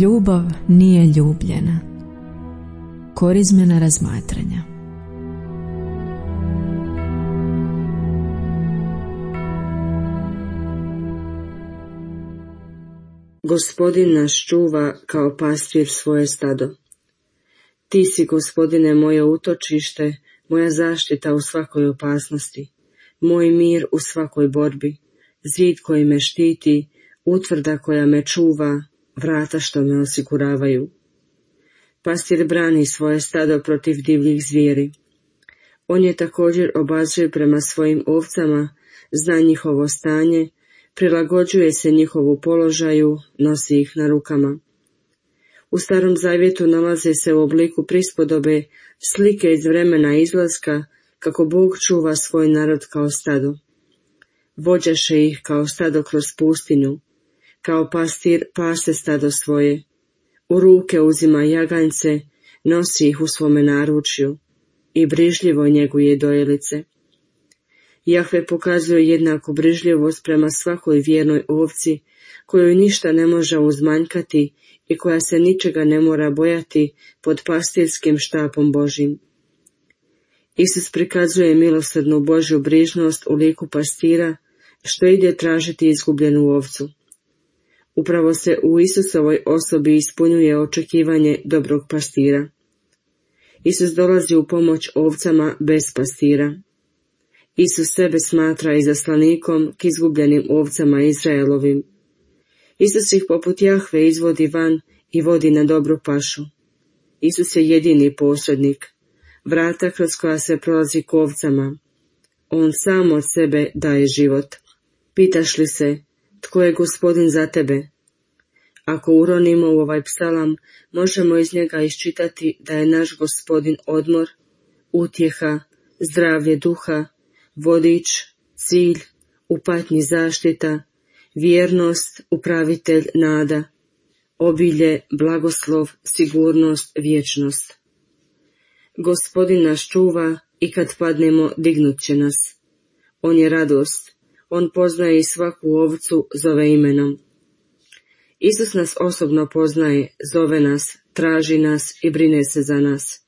Ljubav nije ljubljena. Korizmena razmatranja. Gospodin nas čuva kao pastir svoje stado. Ti si, Gospodine, moje utočište, moja zaštita u svakoj opasnosti, moj mir u svakoj borbi, zid koji me štiti, utvrda koja me čuva, vrata što me osiguravaju. Pastir brani svoje stado protiv divljih zvijeri. On je također obazriv prema svojim ovcama, zna njihovo stanje, prilagođuje se njihovu položaju, nosi ih na rukama. U Starom Zavjetu nalaze se u obliku prispodobe slike iz vremena izlaska, kako Bog čuva svoj narod kao stado. Vođaše ih kao stado kroz pustinju, kao pastir pase stado svoje. U ruke uzima jaganjce, nosi ih u svome naručju i brižljivo njeguje dojelice. Jahve pokazuje jednaku brižljivost prema svakoj vjernoj ovci, kojoj ništa ne može uzmanjkati i koja se ničega ne mora bojati pod pastirskim štapom Božjim. Isus prikazuje milosrdnu Božju brižnost u liku pastira, što ide tražiti izgubljenu ovcu. Upravo se u Isusovoj osobi ispunjuje očekivanje dobrog pastira. Isus dolazi u pomoć ovcama bez pastira. Isus sebe smatra izaslanikom k izgubljenim ovcama Izraelovim. Isus ih poput Jahve izvodi van i vodi na dobru pašu. Isus je jedini posrednik, vrata kroz koja se prolazi k ovcama. On sam od sebe daje život. Pitaš li se, tko je Gospodin za tebe? Ako uronimo u ovaj psalam, možemo iz njega iščitati da je naš Gospodin odmor, utjeha, zdravlje duha, vodič, cilj, u patnji zaštita, vjernost, upravitelj, nada, obilje, blagoslov, sigurnost, vječnost. Gospodin nas čuva i kad padnemo dignut će nas. On je radost, on poznaje i svaku ovcu zove imenom. Isus nas osobno poznaje, zove nas, traži nas i brine se za nas.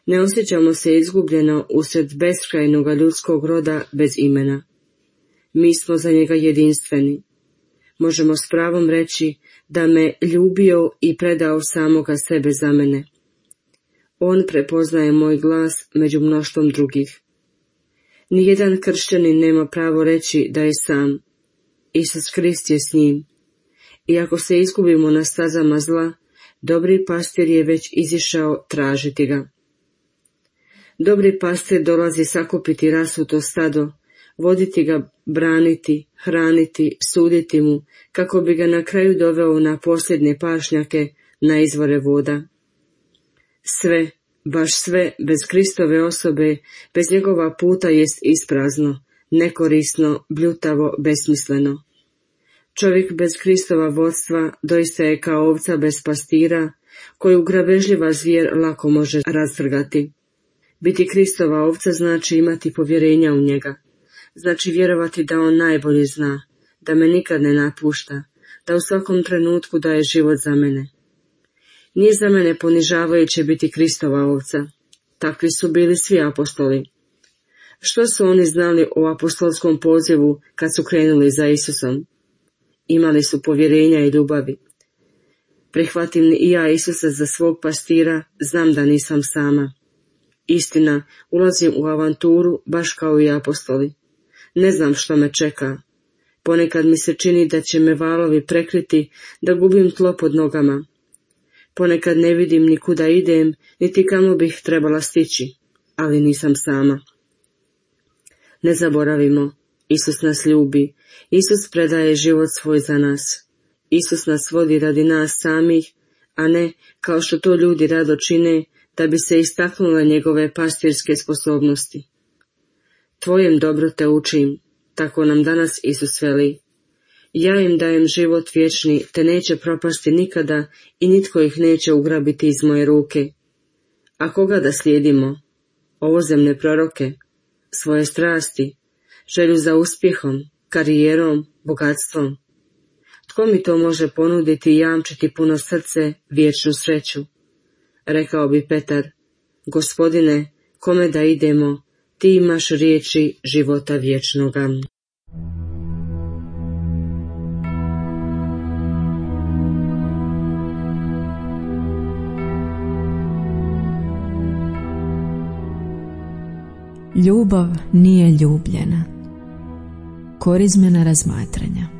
Ne osjećamo se izgubljeno usred beskrajnoga ljudskog roda bez imena. Mi smo za njega jedinstveni. Možemo s pravom reći da me ljubio i predao samoga sebe za mene. On prepoznaje moj glas među mnoštvom drugih. Nijedan kršćanin nema pravo reći da je sam. Isus Krist je s njim. I ako se izgubimo na stazama zla, dobri pastir je već izišao tražiti ga. Dobri pastir dolazi sakupiti rasuto stado, voditi ga, braniti, hraniti, suditi mu, kako bi ga na kraju doveo na posljednje pašnjake, na izvore voda. Sve, baš sve, bez Kristove osobe, bez njegova puta jest isprazno, nekorisno, bljutavo, besmisleno. Čovjek bez Kristova vodstva doista je kao ovca bez pastira, koju grabežljiva zvijer lako može rastrgati. Biti Kristova ovca znači imati povjerenja u njega, znači vjerovati da on najbolje zna, da me nikad ne napušta, da u svakom trenutku daje život za mene. Nije za mene ponižavajuće biti Kristova ovca. Takvi su bili svi apostoli. Što su oni znali o apostolskom pozivu kad su krenuli za Isusom? Imali su povjerenja i ljubavi. Prihvatim li i ja Isusa za svog pastira, znam da nisam sama. Istina, ulazim u avanturu baš kao i apostoli. Ne znam što me čeka. Ponekad mi se čini da će me valovi prekriti, da gubim tlo pod nogama. Ponekad ne vidim ni kuda idem, niti kamo bih trebala stići, ali nisam sama. Ne zaboravimo, Isus nas ljubi, Isus predaje život svoj za nas. Isus nas vodi radi nas samih, a ne, kao što to ljudi rado čine, da bi se istaknule njegove pastirske sposobnosti. Tvojem dobro te učim, tako nam danas Isus veli. Ja im dajem život vječni, te neće propasti nikada i nitko ih neće ugrabiti iz moje ruke. A koga da slijedimo? Ovozemne proroke, svoje strasti, želju za uspjehom, karijerom, bogatstvom. Tko mi to može ponuditi i jamčiti puno srce, vječnu sreću? Rekao bi Petar, Gospodine, kome da idemo, ti imaš riječi života vječnoga. Ljubav nije ljubljena. Korizmena razmatranja.